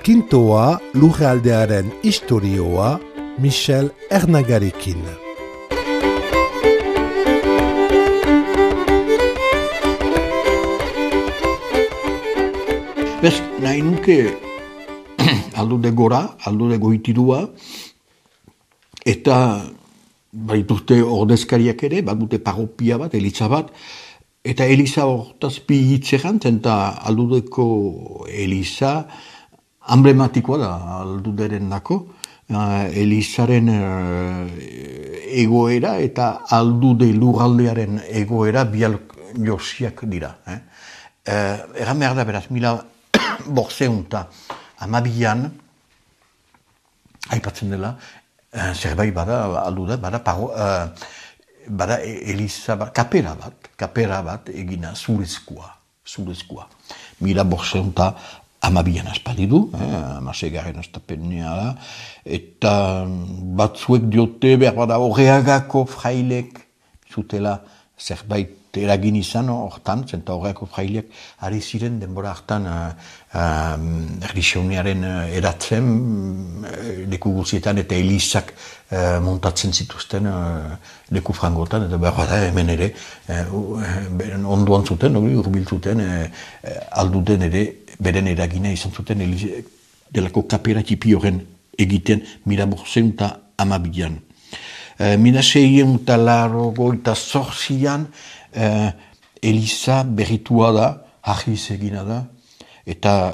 Kintoa lurraldearen istorioa Michel Ernagarikin. Bez, nahi nuke aldude gora, aldude goitirua, eta baituzte ordezkariak ere, bat dute parropia bat, eliza bat, eta eliza hortaz bi hitzeran, eta aldudeko eliza emblematikoa da alduderen dako, elizaren egoera eta aldude lurraldearen egoera bial josiak dira. Egan behar da beraz, 1812an, aipatzen dela, zerbait bada alduda, bada eliza bat, kapera bat egina zurezkoa. 1812an aspaldi du, amasegarren astapenea da, eta batzuek diote behar bada Horreagako frailek zutela zerbait eragin izan hortan, zenta Horreagako frailek ari ziren denbora hartan erlixioniaren eratzen leku guzietan eta elizak montatzen zituzten leku frangotan, eta behar bada hemen ere ondoan zuten, urbil zuten, alduden ere beren eragina izan zuten delako kapera tipi horren egiten 1812an. 1688an eliza berritua da, ahiz egina da, eta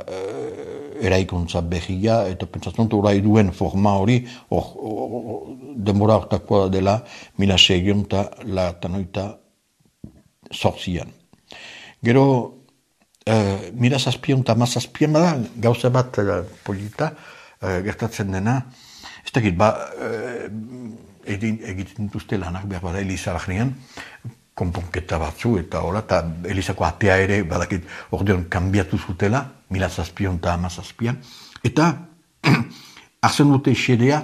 eraikuntza berria, eta pentsatzen dut orai duen forma hori, denbora hortakoa dela 1688an. Gero, 1717an da, gauza bat polita, gertatzen dena, ez dakit, egiten dituzte lanak behar bada eliza bahnean, konponketa batzu eta hola, eta elizako atea ere, badakit, ordeon kanbiatu zutela, 1717an, eta hartzen dute xedea,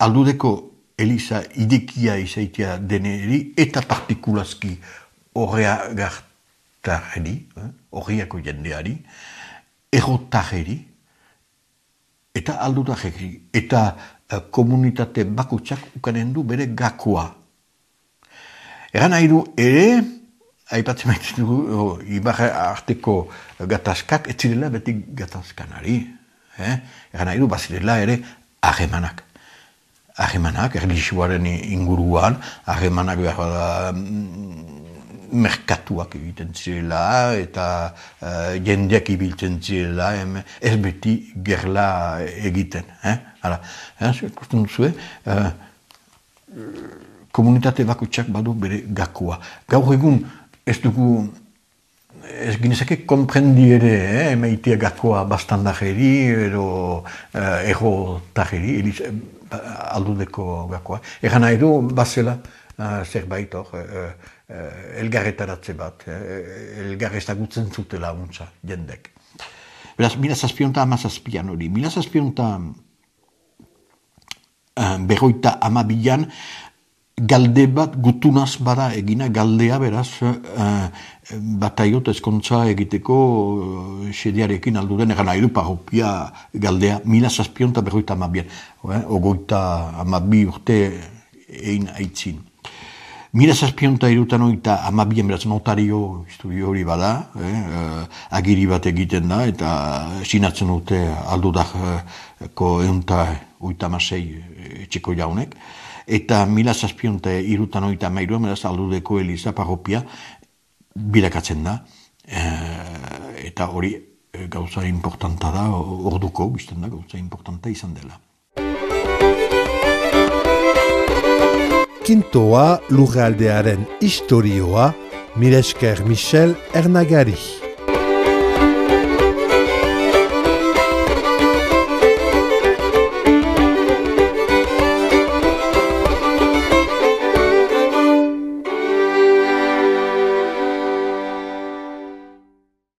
aldudeko eliza idekia izaitia deneri, eta partikulazki horriako jendeari, errotarri, eta aldutarri, eta komunitate bakotxak ukanen du bere gakoa. Egan nahi du ere, aipatzen maitzen dugu, ibarra arteko gatazkak, ez zirela beti gatazkanari. Egan nahi du, bazirela ere harremanak. Harremanak, erlijioaren inguruan, harremanak behar da merkatuak egiten zirela, eta jendeak ibiltzen zirela, ez beti gerla egiten. Ikusten duzue, komunitate bakotxak badu bere gakoa. Gaur egun ez dugu, ez ginezake konprendi ere, emaitea gakoa bastandajeri, edo errotajeri, aldudeko gakoa. Egan nahi du, bazela, zerbait hor, elgarretaratze bat, elgarretagutzen zutela untza, jendek. Beraz, 1717an hori, 1752an galde bat gutunaz bada egina, galdea beraz, bataiot ezkontza egiteko xediarekin alduden, egan nahi du parropia galdea, 1752an, ogoita 12 urte egin aitzin. 1753an beraz notario historio hori bada, agiri bat egiten da, eta sinatzen dute aldudako 186 etxeko jaunek, eta 1753an beraz aldudeko eliza parropia bilakatzen da, eta hori gauza importanta da, orduko, bizten da, gauza importanta izan dela. Kintoa lurraldearen istorioa, mila esker Michel Ernagari.